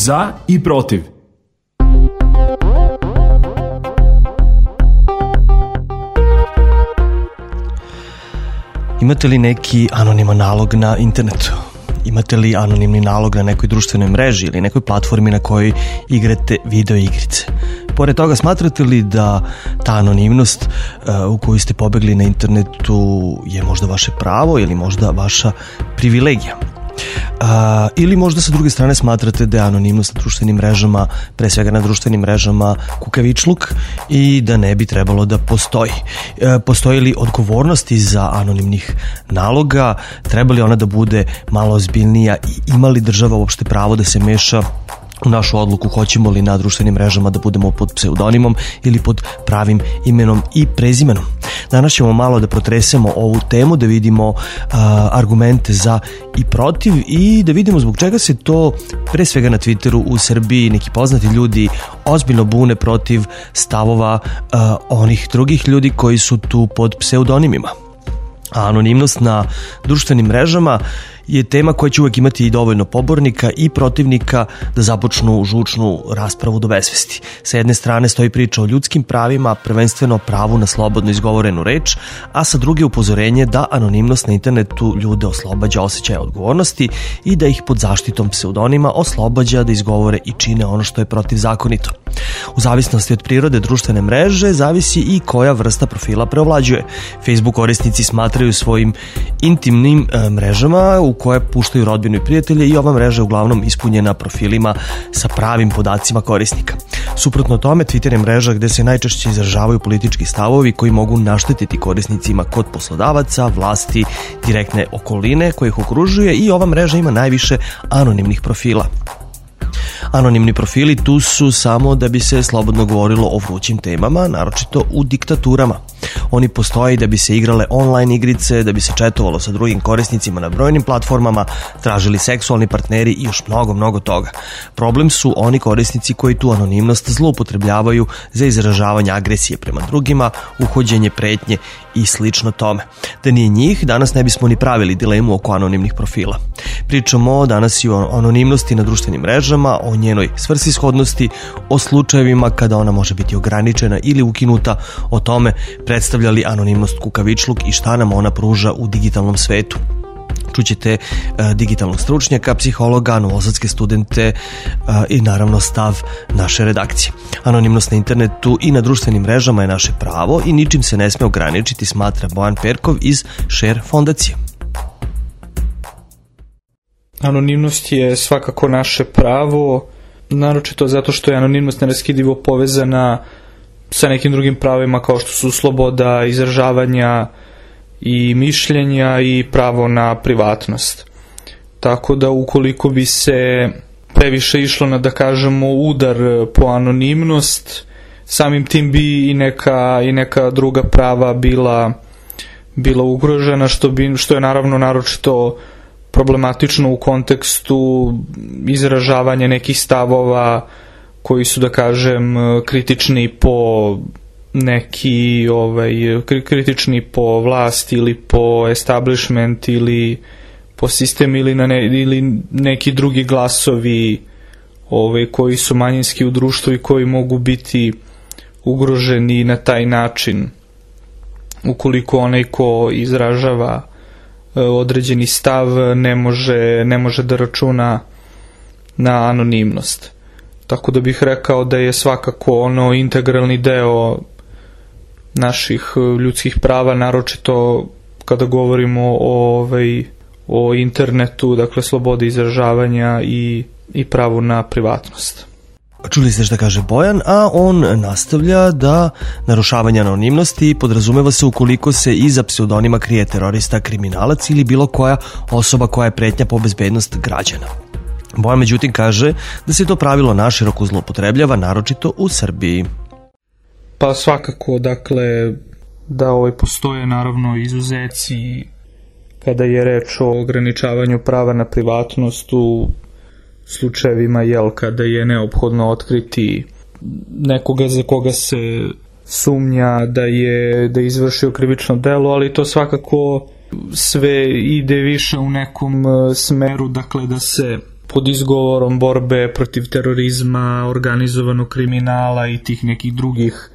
Za i protiv. Imate li neki anoniman nalog na internetu? Imate li anonimni nalog na nekoj društvenoj mreži ili nekoj platformi na kojoj igrate video igrice? Pored toga, smatrate li da ta anonimnost u koju ste pobegli na internetu je možda vaše pravo ili možda vaša privilegija? Ili možda sa druge strane smatrate da je anonimnost na društvenim mrežama, pre svega na društvenim mrežama, kukavičluk i da ne bi trebalo da postoji? Postoji li odgovornost iza anonimnih naloga? Treba li ona da bude malo ozbiljnija i ima li država uopšte pravo da se meša u našu odluku hoćemo li na društvenim mrežama da budemo pod pseudonimom ili pod pravim imenom i prezimenom? Danas ćemo malo da protresemo ovu temu, da vidimo argumente za i protiv i da vidimo zbog čega se to pre svega na Twitteru u Srbiji neki poznati ljudi ozbiljno bune protiv stavova onih drugih ljudi koji su tu pod pseudonimima. A anonimnost na društvenim mrežama je tema koja će uvek imati i dovoljno pobornika i protivnika da započnu žučnu raspravu do besvesti. Sa jedne strane stoji priča o ljudskim pravima, prvenstveno pravu na slobodno izgovorenu reč, a sa druge upozorenje da anonimnost na internetu ljude oslobađa osjećaja odgovornosti i da ih pod zaštitom pseudonima oslobađa da izgovore i čine ono što je protivzakonito. U zavisnosti od prirode društvene mreže zavisi i koja vrsta profila preovlađuje. Facebook korisnici smatraju svojim intimnim mrežama u koje puštaju rodbinu i prijatelje i ova mreža je uglavnom ispunjena profilima sa pravim podacima korisnika. Suprotno tome, Twitter je mreža gde se najčešće izražavaju politički stavovi koji mogu naštetiti korisnicima kod poslodavaca, vlasti, direktne okoline koje ih okružuje i ova mreža ima najviše anonimnih profila. Anonimni profili tu su samo da bi se slobodno govorilo o vrućim temama, naročito u diktaturama. Oni postoje da bi se igrale online igrice, da bi se četovalo sa drugim korisnicima na brojnim platformama, tražili seksualni partneri i još mnogo toga. Problem su oni korisnici koji tu anonimnost zloupotrebljavaju za izražavanje agresije prema drugima, uhođenje pretnje i slično tome. Da nije njih, danas ne bismo ni pravili dilemu oko anonimnih profila. Pričamo danas i o anonimnosti na društvenim mrežama, o njenoj svrsishodnosti, o slučajevima kada ona može biti ograničena ili ukinuta, o tome predstavlja li anonimnost kukavičluk i šta nam ona pruža u digitalnom svetu. Čućete digitalnog stručnjaka, psihologa, novosadske studente i naravno stav naše redakcije. Anonimnost na internetu i na društvenim mrežama je naše pravo i ničim se ne sme ograničiti, smatra Bojan Perkov iz Share fondacije. Anonimnost je svakako naše pravo, naročito zato što je anonimnost neraskidivo povezana sa nekim drugim pravima kao što su sloboda izražavanja i mišljenja i pravo na privatnost. Tako da ukoliko bi se previše išlo na, da kažemo, udar po anonimnost, samim tim bi i neka druga prava bila ugrožena, što je naravno naročito problematično u kontekstu izražavanja nekih stavova koji su, da kažem, kritični po kritični po vlast ili po establishment ili po sistem ili neki drugi glasovi koji su manjinski u društvu i koji mogu biti ugroženi na taj način ukoliko onaj ko izražava određeni stav ne može da računa na anonimnost. Tako da bih rekao da je svakako integralni deo naših ljudskih prava, naročito kada govorimo o internetu, dakle slobodi izražavanja i pravu na privatnost. Čuli ste šta kaže Bojan, a on nastavlja da narušavanje anonimnosti podrazumeva se ukoliko se iza pseudonima krije terorista, kriminalac ili bilo koja osoba koja je pretnja po bezbednost građana. Bojan međutim kaže da se to pravilo naširoko zloupotrebljava, naročito u Srbiji. Pa svakako, dakle, da postoje naravno izuzeci kada je reč o ograničavanju prava na privatnost u slučajevima kada je neophodno otkriti nekoga za koga se sumnja da je izvršio krivično delo, ali to svakako sve ide više u nekom smeru, dakle, da se pod izgovorom borbe protiv terorizma, organizovanog kriminala i tih nekih drugih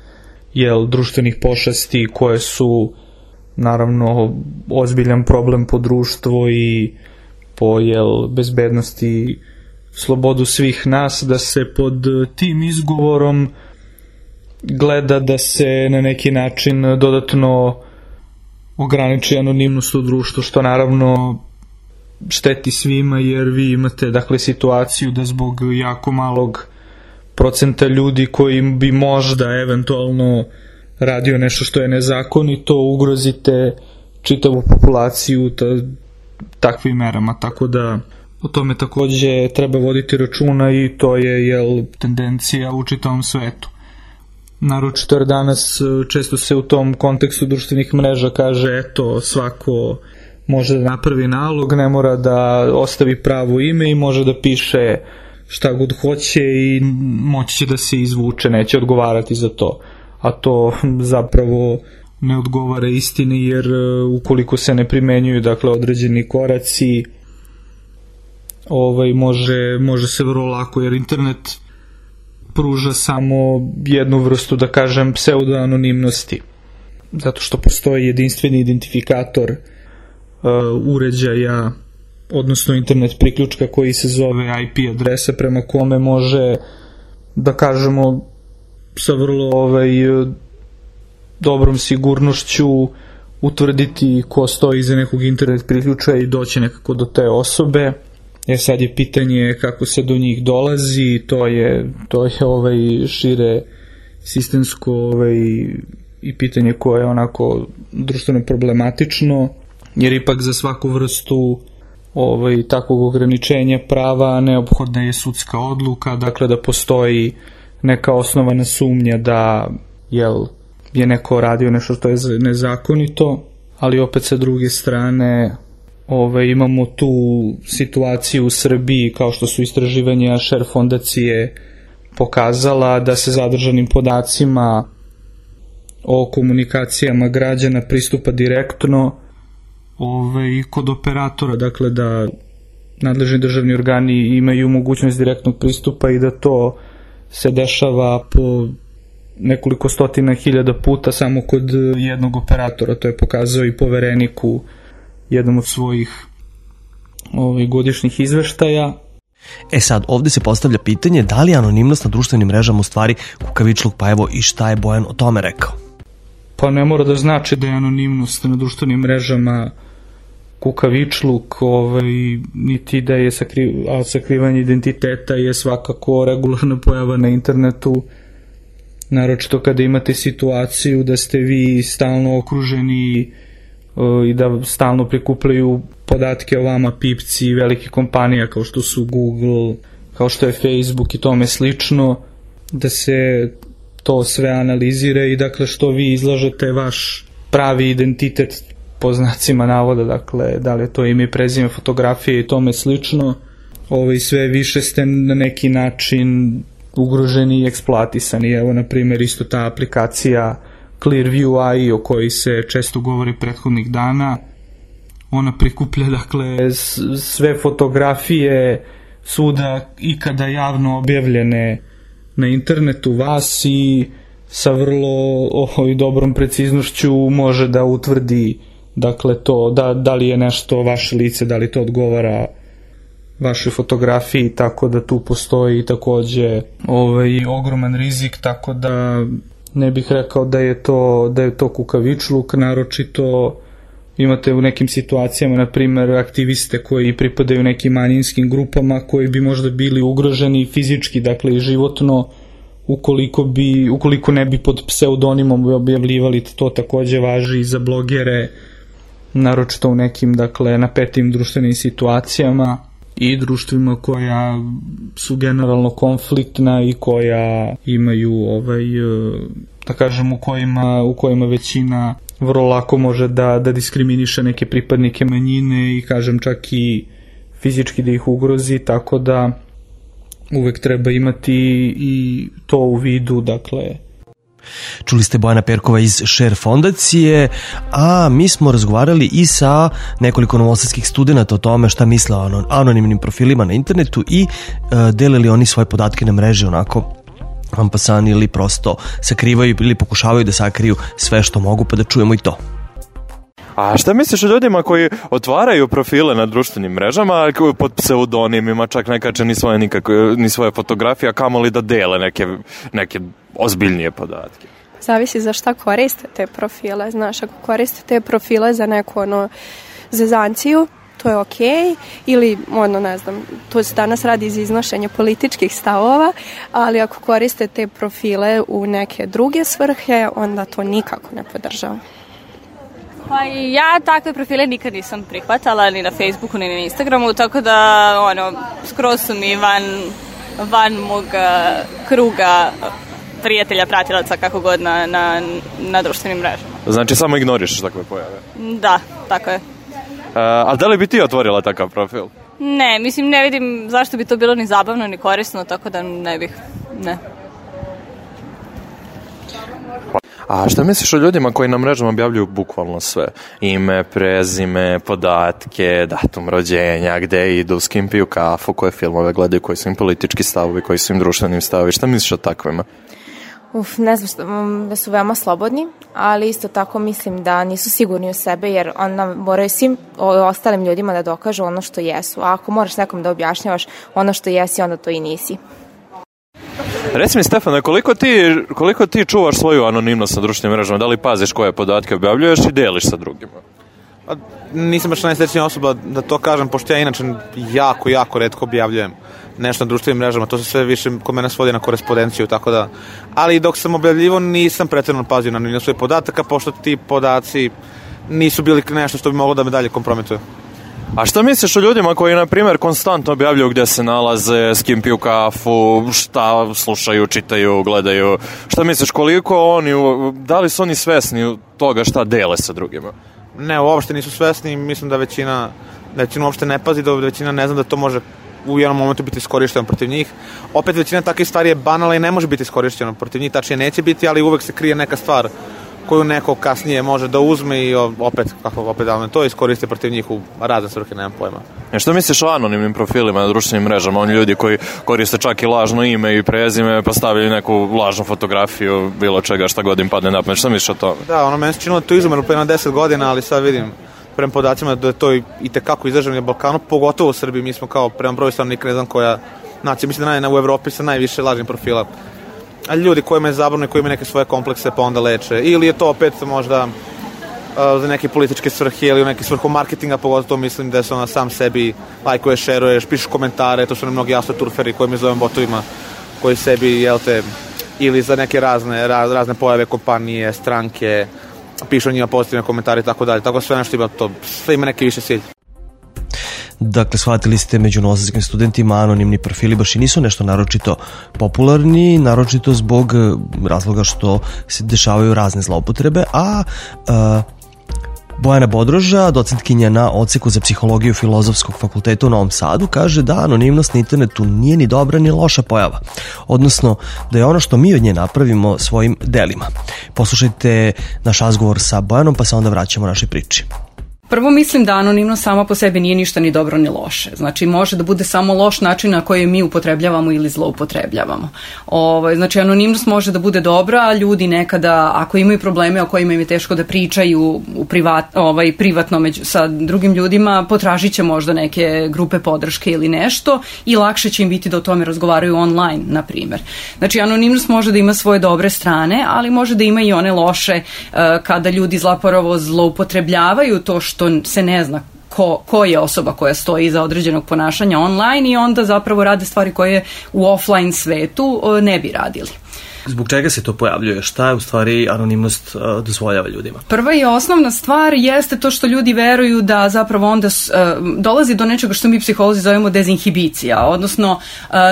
društvenih pošasti koje su naravno ozbiljan problem po društvo i po bezbednosti, slobodu svih nas, da se pod tim izgovorom gleda da se na neki način dodatno ograniči anonimnost u društvu, što naravno šteti svima, jer vi imate situaciju da zbog jako malog procenta ljudi koji bi možda eventualno radio nešto što je nezakonito, ugrozite čitavu populaciju takvim merama, tako da o tome takođe treba voditi računa i to je tendencija u čitavom svetu. Naročito jer danas često se u tom kontekstu društvenih mreža kaže eto svako može da napravi nalog, ne mora da ostavi pravo ime i može da piše šta god hoće i moći će da se izvuče, neće odgovarati za to. A to zapravo ne odgovara istini, jer ukoliko se ne primenjuju određeni koraci, može se vrlo lako, jer internet pruža samo jednu vrstu, da kažem, pseudo-anonimnosti, zato što postoji jedinstveni identifikator uređaja, odnosno internet priključka koji se zove IP adresa, prema kome može, da kažemo, sa vrlo dobrom sigurnošću utvrditi ko stoji iza nekog internet priključka i doći nekako do te osobe. Sad je pitanje kako se do njih dolazi, to je šire sistemsko i pitanje koje je onako društveno problematično, jer ipak za svaku vrstu takvog ograničenja prava neophodna je sudska odluka, dakle da postoji neka osnovana sumnja da je neko radio nešto što je nezakonito, ali opet sa druge strane imamo tu situaciju u Srbiji, kao što su istraživanja Share fondacije pokazala, da se zadržanim podacima o komunikacijama građana pristupa direktno kod operatora, dakle da nadležni državni organi imaju mogućnost direktnog pristupa i da to se dešava po nekoliko stotina hiljada puta samo kod jednog operatora. To je pokazao i Poverenik u jednom od svojih godišnjih izveštaja. Sad, ovde se postavlja pitanje da li je anonimnost na društvenim mrežama u stvari kukavičluk, pa evo i šta je Bojan o tome rekao. Pa ne mora da znači da je anonimnost na društvenim mrežama kukavičluk, niti da je sakrivanje identiteta je svakako regularna pojava na internetu, naročito kada imate situaciju da ste vi stalno okruženi i da stalno prikupljaju podatke o vama pipci velike kompanija kao što su Google, kao što je Facebook i tome slično, da se to sve analizira i dakle što vi izlažete vaš pravi identitet po znacima navoda, dakle da li je to ime, prezime, fotografije i tome slično, sve više ste na neki način ugroženi i eksploatisani. Evo na primjer isto ta aplikacija Clearview AI o kojoj se često govori prethodnih dana, ona prikuplja dakle sve fotografije svuda ikada javno objavljene na internetu vas i sa vrlo dobrom preciznošću može da utvrdi dakle to da li je nešto vaše lice, da li to odgovara vašoj fotografiji, tako da tu postoji takođe ogroman rizik, tako da ne bih rekao da je to kukavičluk. Naročito imate u nekim situacijama, na primjer, aktiviste koji pripadaju nekim manjinskim grupama koji bi možda bili ugroženi fizički, dakle i životno, ukoliko ne bi pod pseudonimom objavljivali. To takođe važi i za blogere, naročito u nekim dakle napetim društvenim situacijama i društvima koja su generalno konfliktna i koja imaju da kažem u kojima većina vrlo lako može da diskriminiše neke pripadnike manjine i kažem čak i fizički da ih ugrozi, tako da uvek treba imati i to u vidu, dakle. Čuli ste Bojana Perkova iz Share fondacije, a mi smo razgovarali i sa nekoliko novosadskih studenta o tome šta misle o anonimnim profilima na internetu i delili oni svoje podatke na mreži onako ampasan ili prosto sakrivaju ili pokušavaju da sakriju sve što mogu, pa da čujemo i to. A šta misliš o ljudima koji otvaraju profile na društvenim mrežama pod pseudonimima, čak ne kače ni svoje fotografije, a kamoli da dele neke ozbiljnije podatke? Zavisi za šta koriste te profile. Znaš, ako koriste te profile za neku zezanciju, to je okej, ili ne znam, to se danas radi iz iznošenja političkih stavova, ali ako koriste te profile u neke druge svrhe, onda to nikako ne podržavam. Pa ja takve profile nikad nisam prihvatala, ni na Facebooku, ni na Instagramu, tako da skroz su mi van mog kruga prijatelja, pratilaca, kako god na društvenim mrežama. Znači samo ignorišeš takve pojave? Da, tako je. A da li bi ti otvorila takav profil? Ne, mislim, ne vidim zašto bi to bilo ni zabavno, ni korisno, tako da ne. A šta misliš o ljudima koji na mrežama objavljuju bukvalno sve? Ime, prezime, podatke, datum rođenja, gde idu, s kim piju kafu, koje filmove gledaju, koji su im politički stavovi, koji su im društveni stavovi? Šta misliš o takvima? Ne znam da su veoma slobodni, ali isto tako mislim da nisu sigurni u sebe, jer onda moraju svim ostalim ljudima da dokažu ono što jesu. A ako moraš nekom da objašnjavaš ono što jesi, onda to i nisi. Reci mi, Stefane, koliko ti čuvaš svoju anonimnost na društvenim mrežama? Da li paziš koje podatke objavljuješ i deliš sa drugima? Nisam baš najsrećnija osoba da to kažem, pošto ja inače jako retko objavljujem nešto na društvenim mrežama. To se sve više kod mene svodi na korespondenciju, tako da. Ali dok sam objavljivo nisam pretjerano pazio na anonimnost svojih podataka, pošto ti podaci nisu bili nešto što bi moglo da me dalje kompromituje. A šta misliš o ljudima koji, na primjer, konstantno objavljuju gdje se nalaze, s kim piju kafu, šta slušaju, čitaju, gledaju? Šta misliš, da li su oni svesni toga šta dele sa drugima? Ne, uopšte nisu svesni. Mislim da većina uopšte ne pazi, da većina ne zna da to može u jednom momentu biti iskorišteno protiv njih. Opet većina takvih stvari je banalna i ne može biti iskorišteno protiv njih, tačnije neće biti, ali uvek se krije neka stvar koju neko kasnije može da uzme i opet to iskoriste protiv njih u razne svrhe, nemam pojma. Što misliš o anonimnim profilima na društvenim mrežama? Oni ljudi koji koriste čak i lažno ime i prezime, pa stavljaju neku lažnu fotografiju, bilo čega, šta god im padne na pamet. Što misliš o tome? Da, meni se činilo da to izumrlo pre 10 godina, ali sad vidim prema podacima da je to i tekako izraženo na Balkanu, pogotovo u Srbiji. Mi smo kao prema broju stanovnika, ne znam koja nacija, mislim da u Evropi sa najviše lažnih profila. A ljudi kojima je zabavno i koji imaju neke svoje komplekse pa onda leče. Ili je to opet možda za neke političke svrhe ili u neke svrhu marketinga, pogotovo mislim da se sam sebi lajkuješ, šeruješ, pišeš komentare, to su mnogi astroturferi koji mi zovem botovima, koji sebi, ili za neke razne pojave, kompanije, stranke, pišu njima pozitivne komentare i tako dalje. Tako sve nešto ima to, sve ima neki više cilj. Dakle, shvatili ste, među novosadskim studentima anonimni profili baš i nisu nešto naročito popularni, naročito zbog razloga što se dešavaju razne zloupotrebe, a Bojana Bodroža, docentkinja na odseku za psihologiju Filozofskog fakulteta u Novom Sadu, kaže da anonimnost na internetu nije ni dobra ni loša pojava, odnosno da je ono što mi od nje napravimo svojim delima. Poslušajte naš razgovor sa Bojanom, pa se onda vraćamo našoj priči. Prvo mislim da anonimnost sama po sebi nije ništa ni dobro ni loše. Znači može da bude samo loš način na koji mi upotrebljavamo ili zloupotrebljavamo. Znači anonimnost može da bude dobra, a ljudi nekada ako imaju probleme o kojima im je teško da pričaju privatno sa drugim ljudima, potražit će možda neke grupe podrške ili nešto i lakše će im biti da o tome razgovaraju online, na primjer. Znači anonimnost može da ima svoje dobre strane, ali može da ima i one loše kada ljudi zapravo zloupotrebljavaju to što se ne zna ko je osoba koja stoji iza određenog ponašanja online i onda zapravo rade stvari koje u offline svetu ne bi radili. Zbog čega se to pojavljuje? Šta je u stvari anonimnost dozvoljava ljudima? Prva i osnovna stvar jeste to što ljudi veruju da zapravo onda dolazi do nečega što mi psiholozi zovemo dezinhibicija, odnosno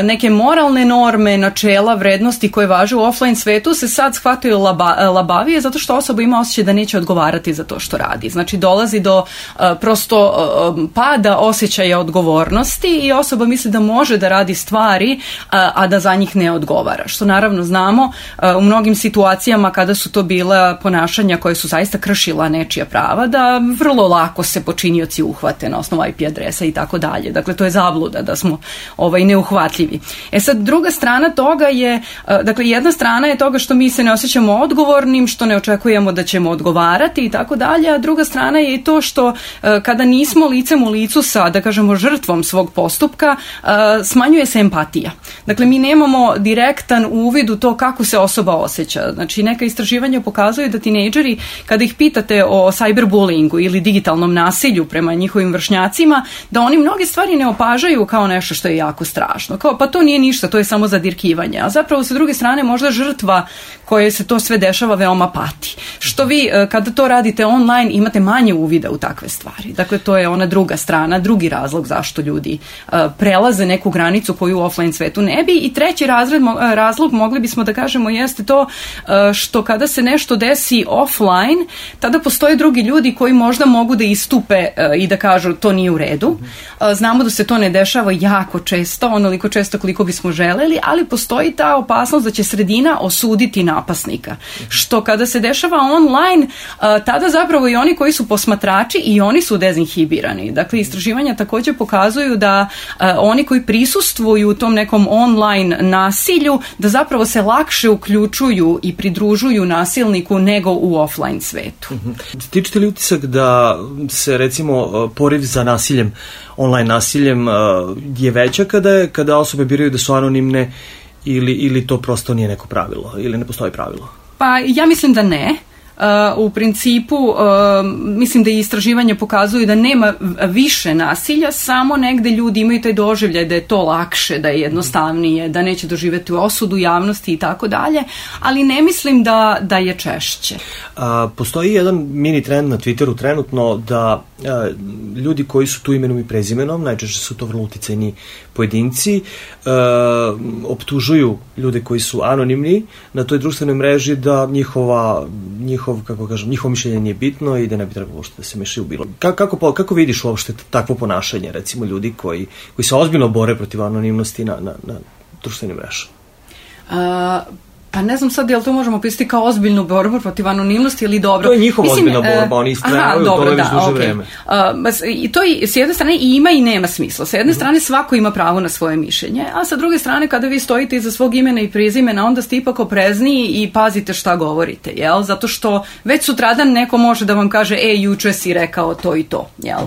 neke moralne norme, načela, vrednosti koje važe u offline svetu se sad shvataju labavije zato što osoba ima osjećaj da neće odgovarati za to što radi. Znači dolazi do prosto pada osjećaja odgovornosti i osoba misli da može da radi stvari, a da za njih ne odgovara. Što naravno znamo znamo u mnogim situacijama kada su to bila ponašanja koje su zaista kršila nečija prava, da vrlo lako se počinioci uhvate na osnovu IP adresa i tako dalje. Dakle, to je zabluda da smo neuhvatljivi. Sad, druga strana toga je, dakle, jedna strana je toga što mi se ne osjećamo odgovornim, što ne očekujemo da ćemo odgovarati i tako dalje, a druga strana je i to što kada nismo licem u licu sa, da kažemo, žrtvom svog postupka, smanjuje se empatija. Dakle, mi nemamo direktan uvid u to kako se osoba osjeća. Znači, neka istraživanja pokazuju da tinejdžeri, kada ih pitate o cyberbullyingu ili digitalnom nasilju prema njihovim vršnjacima, da oni mnoge stvari ne opažaju kao nešto što je jako strašno. Kao, pa to nije ništa, to je samo zadirkivanje. A zapravo, sa druge strane, možda žrtva koje se to sve dešava veoma pati. Što vi, kada to radite online, imate manje uvida u takve stvari. Dakle, to je ona druga strana, drugi razlog zašto ljudi prelaze neku granicu koju u offline svetu ne bi. I treći razlog, mogli bismo da kažemo, jeste to što kada se nešto desi offline, tada postoje drugi ljudi koji možda mogu da istupe i da kažu to nije u redu. Znamo da se to ne dešava jako često, onoliko često koliko bismo želeli, ali postoji ta opasnost da će sredina osuditi napasnika. Što kada se dešava online, tada zapravo i oni koji su posmatrači i oni su dezinhibirani. Dakle, istraživanja također pokazuju da oni koji prisustvuju u tom nekom online nasilju, da zapravo se lakše uključuju i pridružuju nasilniku nego u offline svetu. Stičete li utisak da se, recimo, poriv za nasiljem, online nasiljem je veća kada osobe biraju da su anonimne ili to prosto nije neko pravilo ili ne postoji pravilo? Pa ja mislim da ne. U principu, mislim da i istraživanja pokazuju da nema više nasilja, samo negde ljudi imaju taj doživljaj da je to lakše, da je jednostavnije, da neće doživjeti osudu javnosti i tako dalje, ali ne mislim da je češće. Postoji jedan mini trend na Twitteru trenutno da ljudi koji su tu imenom i prezimenom, najčešće su to vrlo uticajni pojedinci, optužuju ljude koji su anonimni na toj društvenoj mreži da njihovo mišljenje nije bitno i da ne bi trebalo uopšte da se mešaju u bilo. Kako vidiš uopšte takvo ponašanje, recimo ljudi koji se ozbiljno bore protiv anonimnosti na društvenim mrežama? Pa ne znam sad, jel to možemo pisati kao ozbiljnu borbu protiv anonimnosti ili dobro? To je njihova ozbiljna borba, oni istrajavaju u tome već duže vreme. I to s jedne strane i ima i nema smisla. S jedne strane svako ima pravo na svoje mišljenje, a sa druge strane kada vi stojite iza svog imena i prezimena, onda ste ipak oprezniji i pazite šta govorite, jel? Zato što već sutradan neko može da vam kaže juče si rekao to i to, jel?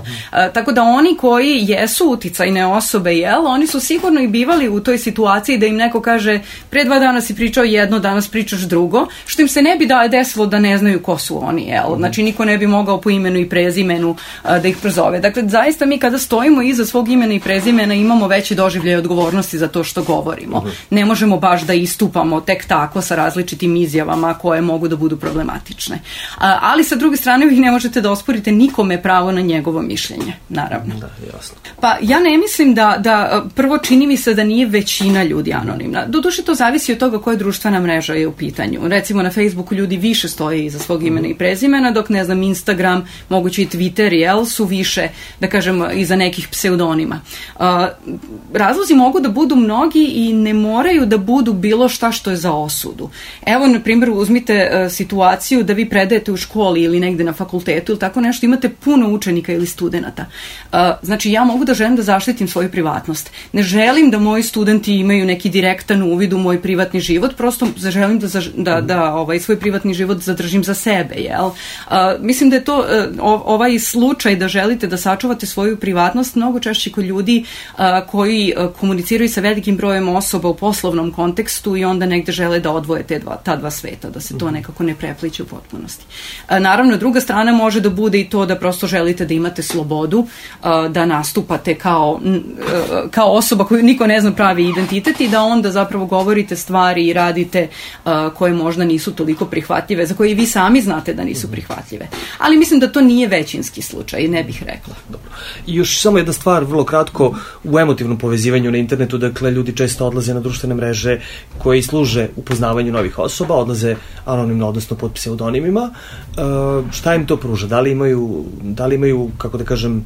Tako da oni koji jesu uticajne osobe, jel? Oni su sigurno i bivali u toj situaciji da im neko kaže pre 2 dana si pričao jedno, danas pričaš drugo, što im se ne bi desilo da ne znaju ko su oni, jel? Znači, niko ne bi mogao po imenu i prezimenu da ih prozove. Dakle, zaista mi kada stojimo iza svog imena i prezimena imamo veći doživljaj odgovornosti za to što govorimo. Ne možemo baš da istupamo tek tako sa različitim izjavama koje mogu da budu problematične. Ali sa druge strane vi ne možete da osporite nikome pravo na njegovo mišljenje, naravno. Da, jasno. Pa ja ne mislim da prvo čini mi se da nije većina ljudi anonimna. Doduše to zavisi od toga koja društvena mreža je u pitanju. Recimo na Facebooku ljudi više stoje iza svog imena i prezimena, dok ne znam Instagram, moguće i Twitter, jel, su više, da kažem, iza nekih pseudonima. Razlozi mogu da budu mnogi i ne moraju da budu bilo šta što je za osudu. Evo, na primjer, uzmite situaciju da vi predajete u školi ili negde na fakultetu ili tako nešto, imate puno učenika ili studenata. Znači, ja mogu da želim da zaštitim svoju privatnost. Ne želim da moji studenti imaju neki direktan uvid u moj privatni život, prosto želim da svoj privatni život zadržim za sebe, jel? Mislim da je to ovaj slučaj da želite da sačuvate svoju privatnost mnogo češće kod ljudi koji komuniciraju sa velikim brojem osoba u poslovnom kontekstu i onda negde žele da odvoje ta dva sveta, da se to nekako ne prepliče u potpunosti. Naravno, druga strana može da bude i to da prosto želite da imate slobodu, da nastupate kao osoba koju niko ne zna pravi identitet i da onda zapravo govorite stvari i radite koje možda nisu toliko prihvatljive, za koje i vi sami znate da nisu prihvatljive. Ali mislim da to nije većinski slučaj, ne bih rekla. Dobro. I još samo jedna stvar, vrlo kratko, u emotivnom povezivanju na internetu, dakle, ljudi često odlaze na društvene mreže koji služe upoznavanju novih osoba, odlaze anonimno, odnosno pod pseudonimima. Šta im to pruža? Da li imaju, kako da kažem,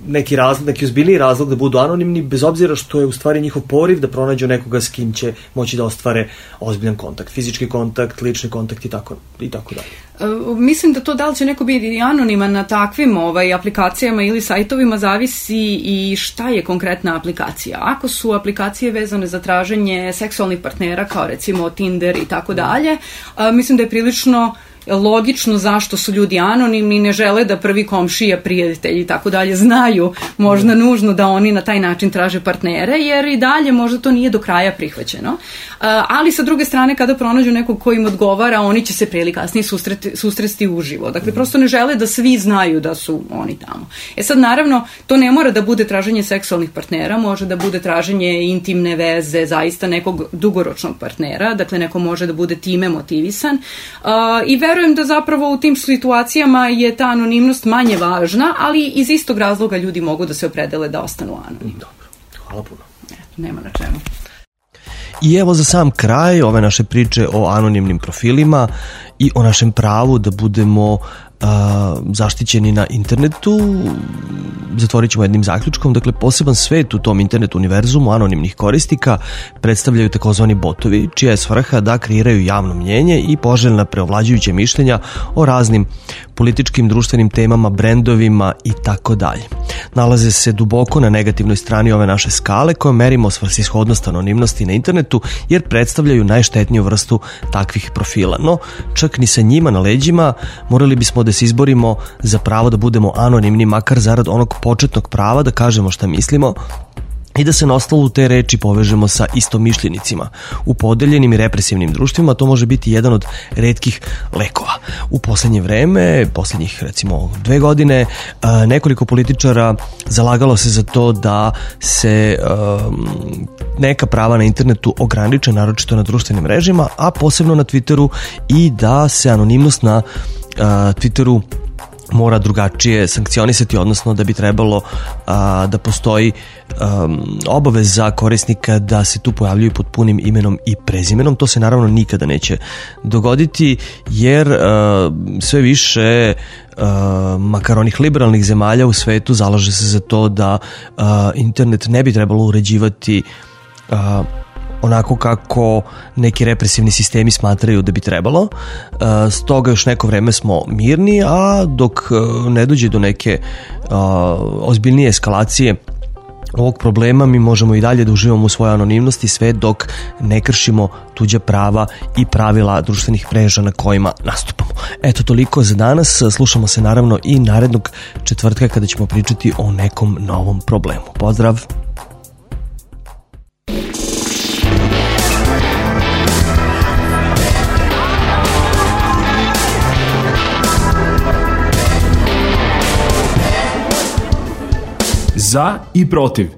neki ozbiljniji razlog da budu anonimni, bez obzira što je u stvari njihov poriv da pronađu nekoga s kim će moći da ostvare ozbiljan kontakt, fizički kontakt, lični kontakt i tako dalje. Mislim da to da li će neko biti anoniman na takvim aplikacijama ili sajtovima zavisi i šta je konkretna aplikacija. Ako su aplikacije vezane za traženje seksualnih partnera, kao recimo Tinder i tako dalje, mislim da je prilično logično zašto su ljudi anonimni, ne žele da prvi komšija, prijatelji i tako dalje znaju možda nužno da oni na taj način traže partnere, jer i dalje možda to nije do kraja prihvaćeno. Ali sa druge strane, kada pronađu nekog ko im odgovara, oni će se pre ili kasnije susresti uživo. Dakle, prosto ne žele da svi znaju da su oni tamo. Sad, naravno, to ne mora da bude traženje seksualnih partnera, može da bude traženje intimne veze, zaista nekog dugoročnog partnera, dakle, neko može da bude time motivisan. I verujem da zapravo u tim situacijama je ta anonimnost manje važna, ali iz istog razloga ljudi mogu da se opredele da ostanu anonimni. Dobro, hvala puno. Nema na čemu. I evo za sam kraj ove naše priče o anonimnim profilima i o našem pravu da budemo zaštićeni na internetu, zatvorit ćemo jednim zaključkom. Dakle, poseban svet u tom internet univerzumu anonimnih korisnika predstavljaju takozvani botovi, čija je svrha da kreiraju javno mnjenje i poželjna preovlađujuća mišljenja o raznim političkim, društvenim temama, brendovima i tako dalje. Nalaze se duboko na negativnoj strani ove naše skale koje merimo svrsishodnost anonimnosti na internetu, jer predstavljaju najštetniju vrstu takvih profila. No, čak ni sa njima na leđima morali bismo da se izborimo za pravo da budemo anonimni, makar zarad onog početnog prava da kažemo šta mislimo i da se na osnovu te reči povežemo sa istomišljenicima. U podeljenim i represivnim društvima to može biti jedan od retkih lekova. U poslednje vreme, poslednjih recimo 2 godine, nekoliko političara zalagalo se za to da se neka prava na internetu ograniče, naročito na društvenim mrežama, a posebno na Twitteru, i da se anonimnost na Twitteru mora drugačije sankcionisati, odnosno da bi trebalo da postoji obaveza korisnika da se tu pojavljuju pod punim imenom i prezimenom. To se naravno nikada neće dogoditi, jer sve više makar onih liberalnih zemalja u svetu zalaže se za to da internet ne bi trebalo uređivati onako kako neki represivni sistemi smatraju da bi trebalo. Stoga još neko vreme smo mirni, a dok ne dođe do neke ozbiljnije eskalacije ovog problema, mi možemo i dalje da uživamo u svojoj anonimnosti sve dok ne kršimo tuđa prava i pravila društvenih mreža na kojima nastupamo. Eto, toliko za danas. Slušamo se naravno i narednog četvrtka kada ćemo pričati o nekom novom problemu. Pozdrav! Za i protiv.